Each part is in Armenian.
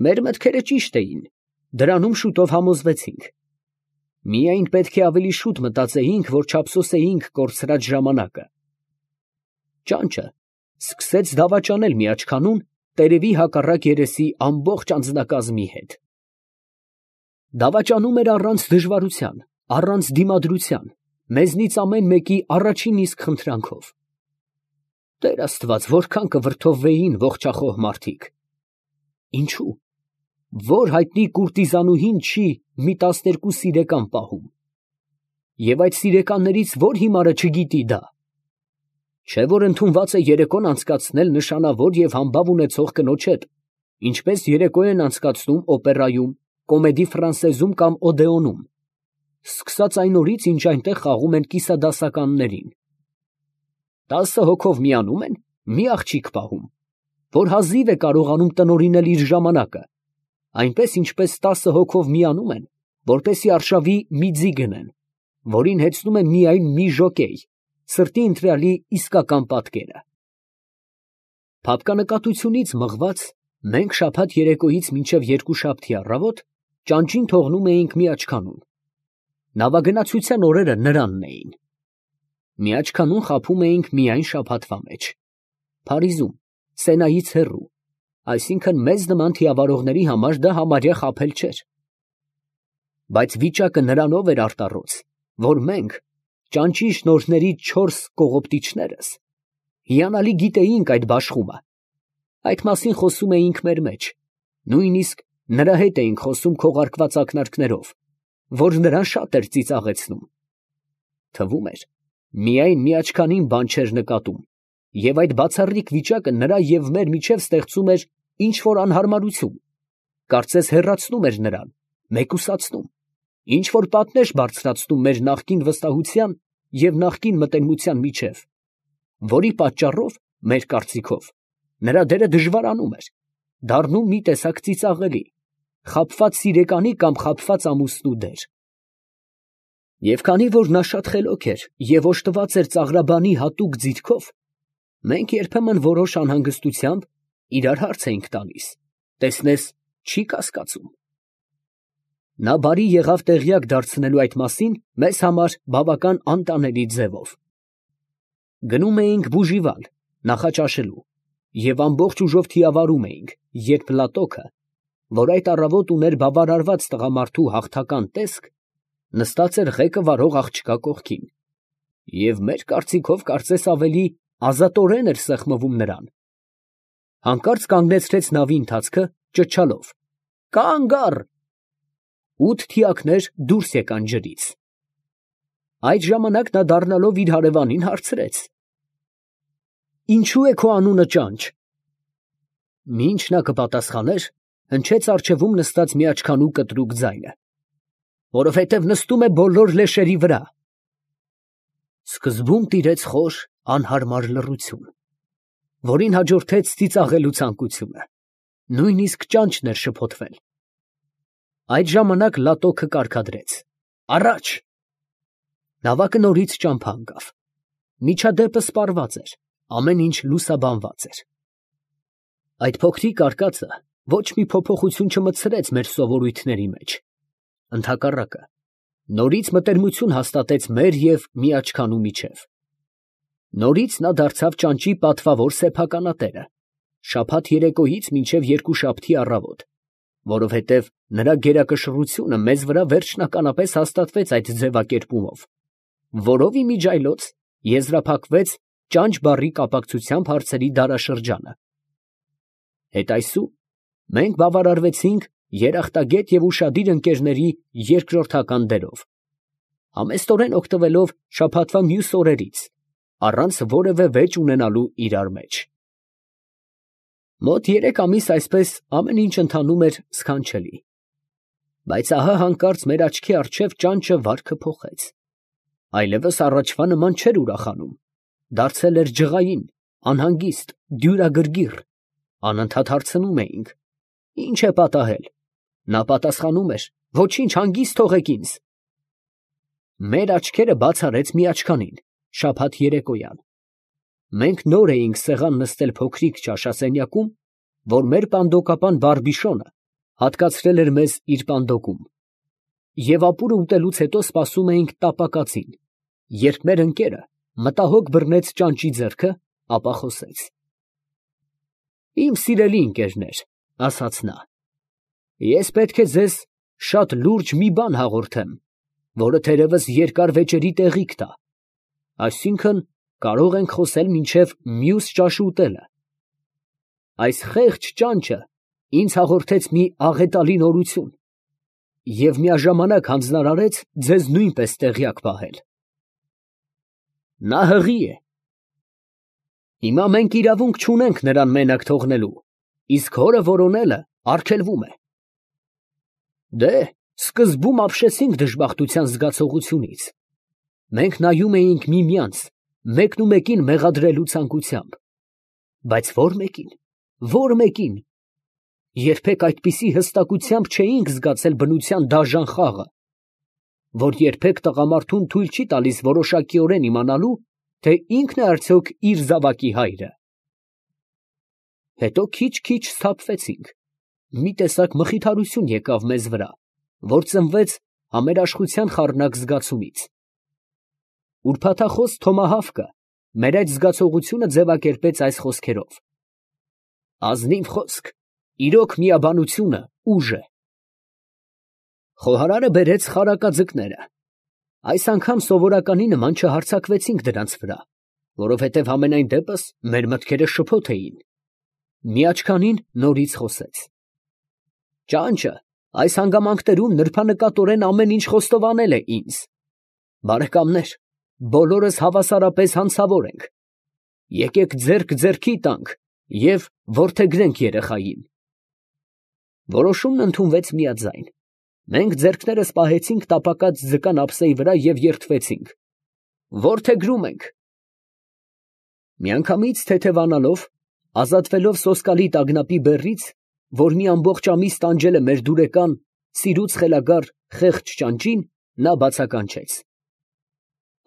Մեր մտքերը ճիշտ էին, դրանում շուտով համոզվեցինք. միայն պետք է ավելի շուտ մտածեինք, որ չափսոսեինք կորցրած ժամանակը։ Ճանճը սկսեց դավաճանել միաչքանուն տերևի հակառակ երեսի ամբողջ անձնակազմի հետ։ Դավաճանում էր առանց դժվարության, առանց դիմադրության, մեզնից ամեն մեկի առաջին իսկ խնդրանքով։ Տեր Աստված, որքան կվրդովվեին ողջախոհ մարդիկ։ Ինչու՞։ Որ հայտնի կուրտիզանուհին չի մի 12 սիրեկան պահում։ Եվ այդ սիրեկաններից որ հիմարը չգիտի դա։ Չէ որ ընդունված է երեկոն անցկացնել նշանավոր և համբավ ունեցող կնոջ հետ, ինչպես երեկո են անցկացնում օպերայում, կոմեդի ֆրանսեզում կամ օդեոնում, սկսած այն օրից, ինչ այնտեղ խաղում են կիսադասականներին։ 10 հոգով միանում են, մի աղջիկ պահում, որ հազիվ է կարողանում տնօրինել իր ժամանակը, այնպես ինչպես 10 հոգով միանում են, որպեսզի արշավի մի ձի գնեն, որին հեծնում է միայն մի ժոկեյ, սրտի ընտրյալի իսկական պատկերը։ Փափկանկատությունից մղված, մենք շաբաթ երեկոյից մինչև երկուշաբթի առավոտ ճանճին թողնում էինք Միաչքանուն։ Նավագնացության օրերը նրանն էին։ Միաչքանուն խաբում էինք միայն շաբաթվա մեջ։ Փարիզում, Սենայից հեռու, այսինքն մեզ նման թիավարողների համար դա համարյա խաբել չէր։ Բայց վիճակը նրանով էր արտառոց, որ մենք, ճանճի շնորհների 4 կողոպտիչներս, հիանալի գիտեինք այդ բաշխումը։ Այդ մասին խոսում էինք մեր մեջ, նույնիսկ նրա հետ էինք խոսում քողարկված ակնարկներով, որ նրան շատ էր ծիծաղեցնում։ Թվում էր, միայն Միաչքանին բան չէր նկատում, և այդ բացառիկ վիճակը նրա և մեր միջև ստեղծում էր ինչ-որ անհարմարություն, կարծես հեռացնում էր նրան, մեկուսացնում, ինչ-որ պատնեշ բարձրացնում մեր նախկին վստահության և նախկին մտերմության միջև, որի պատճառով, մեր կարծիքով, նրա դերը դժվարանում էր, դառնում մի տեսակ ծիծաղելի, խաբված սիրեկանի կամ խաբված ամուսնու դեր։ Եվ քանի որ նա շատ խելոք էր և օժտված էր ծաղրաբանի հատուկ ձիրքով, մենք երբեմն որոշ անհանգստությամբ իրար հարց էինք տալիս, տեսնես չի կասկածում։ Նա բարի եղավ տեղյակ դարձնելու այդ մասին մեզ համար բավական անտանելի ձևով։ Գնում էինք Բուժիվալ, նախաճաշելու, և ամբողջ ուժով թիավարում էինք, երբ Լատոքը, որ այդ առավոտ ուներ բավարարված տղամարդու հաղթական տեսք, նստած էր ղեկը վարող աղջկա կողքին, և մեր կարծիքով կարծես ավելի ազատորեն էր սեղմվում նրան։ Հանկարծ կանգնեցրեց նավի ընթացքը, ճչալով. «Կանգ առ»։ 8 թիակներ դուրս եկան ջրից։ Այդ ժամանակ նա դառնալով իր հարևանին հարցրեց. «Ինչո՞ւ է քո անունը Ճանճ»։ Մինչ նա կպատասխաներ, հնչեց առջևում նստած Միաչքանու կտրուկ ձայնը. «Որովհետև նստում է բոլոր լեշերի վրա»։ Սկզբում տիրեց խոր, անհարմար լռություն, որին հաջորդեց ծիծաղելու ցանկությունը, նույնիսկ ճանճն էր շփոթվել։ Այդ ժամանակ Լատոքը կարգադրեց. «Առաջ»։ Նավակը նորից ճամփա ընկավ։ Միջադեպը սպառված էր, ամեն ինչ լուսաբանված էր։ Այդ փոքրիկ արկածը ոչ մի փոփոխություն չմտցրեց մեր սովորույթների մեջ։ Ընդհակառակը, նորից մտերմություն հաստատեց մեր և Միաչքանու միջև։ Նորից նա դարձավ ճանճի պատվավոր սեփականատերը, շաբաթ երեկոյից մինչև երկուշաբթի առավոտ, որովհետև նրա գերակշռությունը մեզ վրա վերջնականապես հաստատվեց այդ ձևակերպումով, որով իմիջիայլոց եզրափակվեց ճանճ բառի կապակցությամբ հարցերի դարաշրջանը։ Հետայսու մենք բավարարվեցինք երախտագետ և ուշադիր ընկերների երկրորդական դերով, համեստորեն օգտվելով շաբաթվա մյուս օրերից, առանց որևէ վեճ ունենալու իրար մեջ։ Մոտ 3 ամիս այսպես ամեն ինչ ընթանում էր սքանչելի։ Բայց ահա հանկարծ մեր աչքի առջև ճանճը վարքը փոխեց։ Այլևս առաջվա նման չէր ուրախանում, դարձել էր ջղային, անհանգիստ, դյուրագրգիռ, անընդհատ հարցնում էինք. «Ի՞նչ է պատահել»։ Նա պատասխանում էր. «Ոչինչ, հանգիստ թողեք ինձ»։ Մեր աչքերը բաց արեց Միաչքանին, շաբաթ երեկոյան։ Մենք նոր էինք սեղան նստել փոքրիկ ճաշասենյակում, որ մեր պանդոկապան Բառբիշոնը հատկացրել էր մեզ իր պանդոկում, և ապուրը ուտելուց հետո սպասում էինք տապակածին, երբ մեր ընկերը մտահոգ բռնեց ճանճի ձեռքը, ապա խոսեց. «Իմ սիրելի ընկերներ, ֊ ասաց նա, ֊ ես պետք է ձեզ շատ լուրջ մի բան հաղորդեմ, որը թերևս երկար վեճերի տեղիք տա, այսինքն կարող ենք խոսել մինչև մյուս ճաշը ուտելը։ Այս խեղճ ճանճը ինձ հաղորդեց մի աղետալի նորություն և միաժամանակ հանձնարարեց ձեզ նույնպես տեղյակ պահել։ Նա հղի է։ Հիմա մենք իրավունք չունենք նրան մենակ թողնելու, իսկ հորը որոնելը արգելվում է։ Դե, սկզբում ապշեցինք դժբախտության զգացողությունից։ Մենք նայում էինք միմյանց, մեկնումեկին մեղադրելու ցանկությամբ։ Բայց ո՞ր մեկին, ո՞ր մեկին։ Երբեք այդպիսի հստակությամբ չէինք զգացել բնության դաժան խաղը, որ երբեք տղամարդուն թույլ չի տալիս որոշակիորեն իմանալու, թե ինքն է արդյոք իր զավակի հայրը։ Հետո քիչ-քիչ սթափվեցինք, մի տեսակ մխիթարություն եկավ մեզ վրա, որ ծնվեց համերաշխության խառնակ զգացումից։ Ուրբաթախոս Թոմահավկը մեր այդ զգացողությունը ձևակերպեց այս խոսքերով. ազնիվ խոսք, իրոք միաբանությունը ուժ է։ Խոհարարը բերեց խարակաձկները։ Այս անգամ սովորականի նման չհարձակվեցինք դրանց վրա, որովհետև համենայն դեպս մեր մտքերը շփոթ էին։ Միաչքանին նորից խոսեց. ճանճը այս հանգամանքներում նրբանկատորեն ամեն ինչ խոստովանել է ինձ։ Բարեկամներ, բոլորս հավասարապես հանցավոր ենք։ Եկեք ձեռք ձեռքի տանք և որդեգրենք երեխային։ Որոշումն ընդունվեց միաձայն։ Մենք ձեռքներս պահեցինք տապակած ձկան ափսեի վրա և երդվեցինք. որդեգրում ենք։ Միանգամից թեթևանալով, ազատվելով սոսկալի տագնապի բեռից, որ մի ամբողջ ամիս տանջել է մեր դուրեկան, սիրուց խելագար խեղճ ճանճին, նա բացականչեց.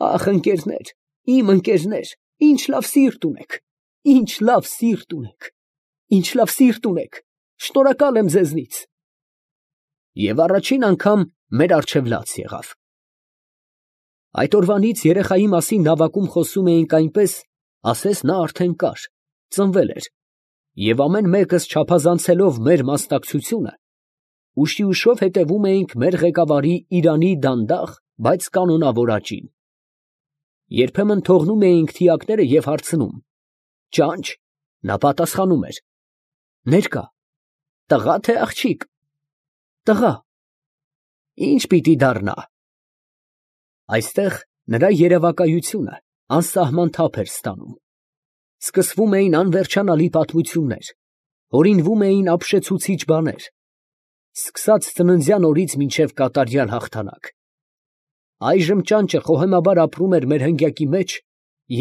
ախ, ընկերներ, իմ ընկերներ, ինչ լավ սիրտ ունեք, ինչ լավ սիրտ ունեք, ինչ լավ սիրտ ունեք, շնորհակալ եմ ձեզնից։ Եվ առաջին անգամ մեր առջև լաց եղավ։ Այդ օրվանից երեխայի մասին նավակում խոսում էինք այնպես, ասես նա արդեն կար, ծնվել էր, և ամեն մեկս չափազանցելով մեր մասնակցությունը, ուշիուշով հետևում էինք մեր ղեկավարի Իրանի դանդաղ, բայց կանոնավոր աճին։ Երբեմն թողնում էինք թիակները և հարցնում. ճանճ, նա պատասխանում էր. ներկա, տղա թե աղջիկ։ Տղա։ Ինչ պիտի դառնա։ Այստեղ նրա երևակայությունը անսահման թափ էր ստանում։ Սկսվում էին անվերջանալի պատմություններ, հորինվում էին ապշեցուցիչ բաներ, սկսած ծննդյան օրից մինչև կատարյալ հաղթանակ։ Այժմ ճանճը խոհեմաբար ապրում էր մեր հնգյակի մեջ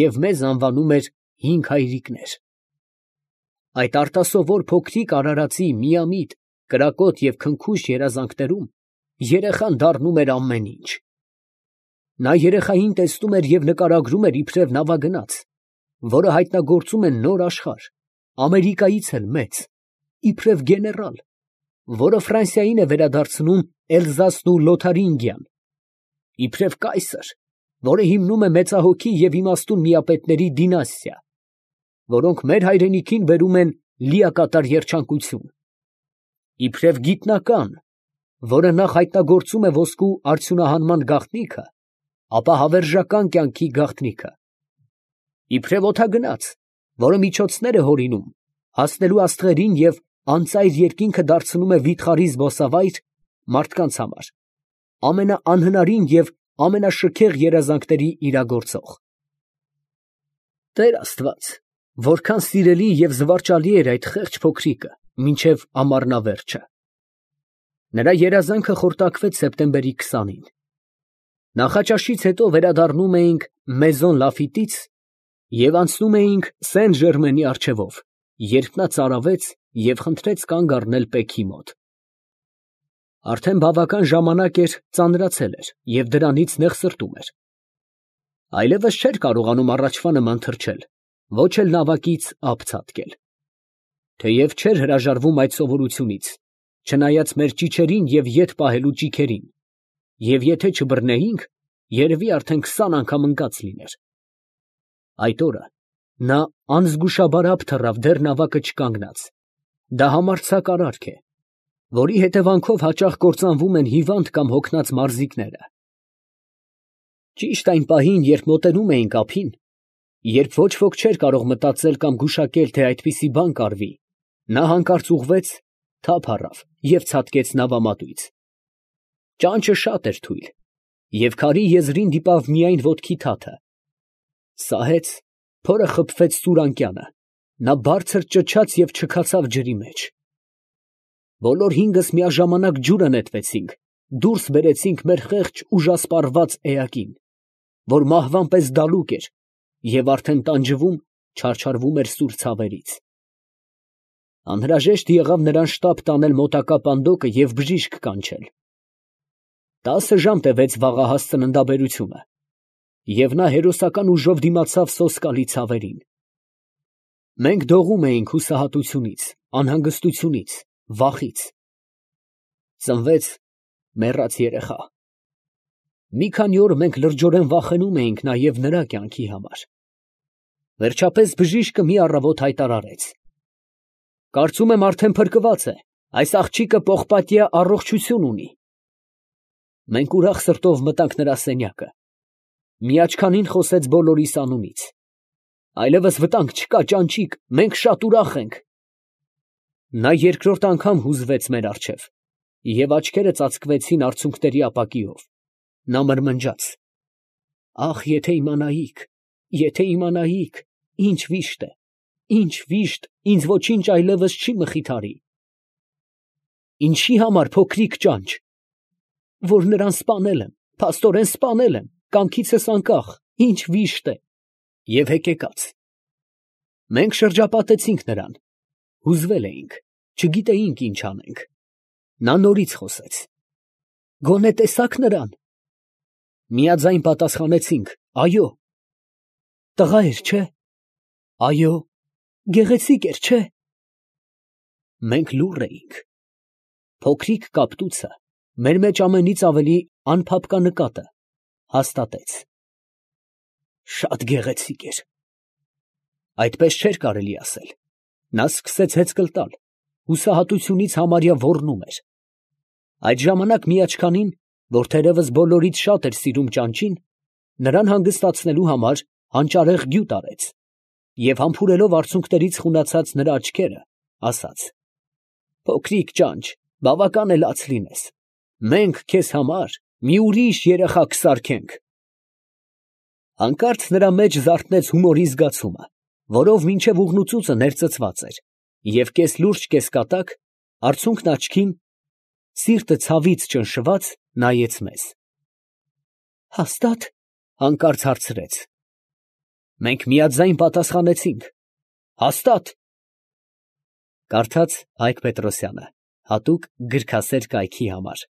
և մեզ անվանում էր հինգ հայրիկներ։ Այդ արտասովոր փոքրիկ արարածի միամիտ, կրակոտ և քնքուշ երազանքներում երեխան դառնում էր ամեն ինչ։ Նա երեխային տեսնում էր և նկարագրում էր իբրև նավագնաց, որը հայտնագործում է նոր աշխարհ, Ամերիկայից էլ մեծ, իբրև գեներալ, որը Ֆրանսիային է վերադարձնում Էլզասն ու Լոթարինգիան, իբրև կայսր, որը հիմնում է մեծահոգի և իմաստուն միապետների դինաստիա, որոնք մեր հայրենիքին բերում են լիակատար երջանկություն, իբրև գիտնական, որը նախ հայտնագործում է ոսկու արդյունահանման գաղտնիքը, ապա հավերժական կյանքի գաղտնիքը, իբրև օդագնաց, որը միջոցներ է հորինում, հասնելու աստղերին և անծայր երկինքը դարձնում է վիթխարի զբոսավայր մարդկանց համար, ամենաանհնարին և ամենաշքեղ երազանքների իրագործող։ Տեր Աստված, որքան սիրելի և զվարճալի էր այդ խեղճ փոքրիկը մինչև ամառնավերջը։ Նրա երազանքը խորտակվեց սեպտեմբերի 20-ին։ Նախաճաշից հետո վերադառնում էինք Մեզոն Լաֆիտից և անցնում էինք Սեն Ժերմենի առջևով, երբ նա ծարավեց և խնդրեց կանգ առնել պեքի մոտ։ Արդեն բավական ժամանակ էր ծանրացել էր և դրանից նեղսրտում էր։ Այլևս չէր կարողանում առաջվա նման թռչել, ոչ էլ նավակից ափ ցատկել։ Թեև չէր հրաժարվում այդ սովորությունից, չնայած մեր ճիչերին և ետ պահելու ճիգերին, և եթե չբռնեինք, երևի արդեն 20 անգամ ընկած լիներ։ Այդ օրը նա անզգուշաբարապ թռավ դեռ նավակը չկանգնած. դա համարձակ արարք է, որի հետևանքով հաճախ կործանվում են հիվանդ կամ հոգնած մարզիկները։ Ճիշտ այն պահին, երբ մոտենում էինք ափին, երբ ոչ ոք չէր կարող մտածել կամ գուշակել, թե այդպիսի բան կարվի, նա հանկարծ ուղղվեց, թափ առավ և ցատկեց նավամատույց։ Ճանճը շատ էր թույլ, և քարի եզրին դիպավ միայն ոտքի թաթը։ Սահեց, փորը խփվեց սուր անկյանը, նա բարձր ճչաց և չքացավ ջրի մեջ։ Բոլոր հինգս միաժամանակ ջուրը նետվեցինք, դուրս բերեցինք մեր խեղճ ուժասպառված էակին, որ մահվան պես դալուկ էր և արդեն տանջվում, չարչարվում էր սուր ցավերից։ Անհրաժեշտ եղավ նրան շտապ տանել մոտակա պանդոկը և բժիշկ կանչել։ 10 ժամ տևեց վաղահաս ծննդաբերությունը, և նա հերոսական ուժով դիմացավ սոսկալի ցավերին։ Մենք դողում էինք հուսահատությունից, անհանգստությունից, վախից։ Ծնվեց մեռած երեխա։ Մի քանի օր մենք լրջորեն վախենում էինք նաև նրա կյանքի համար։ Վերջապես բժիշկը մի առավոտ հայտարարեց. «Կարծում եմ արդեն փրկված է, այս աղջիկը պողպատյա առողջություն ունի»։ Մենք ուրախ սրտով մտանք նրա սենյակը։ Միաչքանին խոսեց բոլորիս անունից. «Այլևս վտանգ չկա, ճանճիկ, մենք շատ ուրախ ենք»։ Նա երկրորդ անգամ հուզվեց մեր առջև, և աչքերը ծածկվեցին արցունքների ապակիով։ Նա մրմնջաց. «Ախ, եթե իմանայիք, ինչ վիշտ է, ինչ վիշտ, ինձ ոչինչ այլևս չի մխիթարի»։ Ինչի համար, փոքրիկ ճանճ։ Որ նրան սպանել եմ, փաստորեն սպանել եմ, կամքիցս անկախ, ինչ վիշտ է։ Եվ հեկեկաց։ Մենք շրջապատեցինք նրան, հուզվել էինք, չգիտեինք ինչ անենք։ Նա նորից խոսեց. «Գոնե տեսա՞ք նրան»։ Միաձայն պատասխանեցինք. «Այո»։ Տղա էր, չէ՞։ «Այո»։ Գեղեցիկ էր, չէ՞։ Մենք լուռ էինք։ Փոքրիկ կապտուցը մեր մեջ ամենից ավելի անփափկա նկատը հաստատեց. շատ գեղեցիկ էր։ Այդպես չէր կարելի ասել։ Նա սկսեց հեծկլ տալ, հուսահատությունից համարյա ոռնում էր։ Այդ ժամանակ միաչքանին, որ թերևս բոլորից շատ էր սիրում ճանճին, նրան հանգստացնելու համար հանճարեղ գյուտ արեց և համբուրելով արցունքներից խունացած նրա աչքերը, ասաց. «Փոքրիկ ճանճ, բավական է լաց լինես, մենք քեզ համար մի ուրիշ երեխա կսարքենք»։ Հանկարծ նրա մեջ զարթնեց հումորի զգացումը, որով մինչև ուղղնուծուծը ներծծված էր, և կես լուրջ, կես կատակ, արցունքն աչքին, սիրտը ցավից ճնշված, նայեց մեզ։ «Հաստա՞տ»։ Հանկարծ հարցրեց։ Մենք միաձայն պատասխանեցինք. «Հաստատ»։ Կարդաց Հայկ Պետրոսյանը, հատուկ գրքասեր կայքի համար։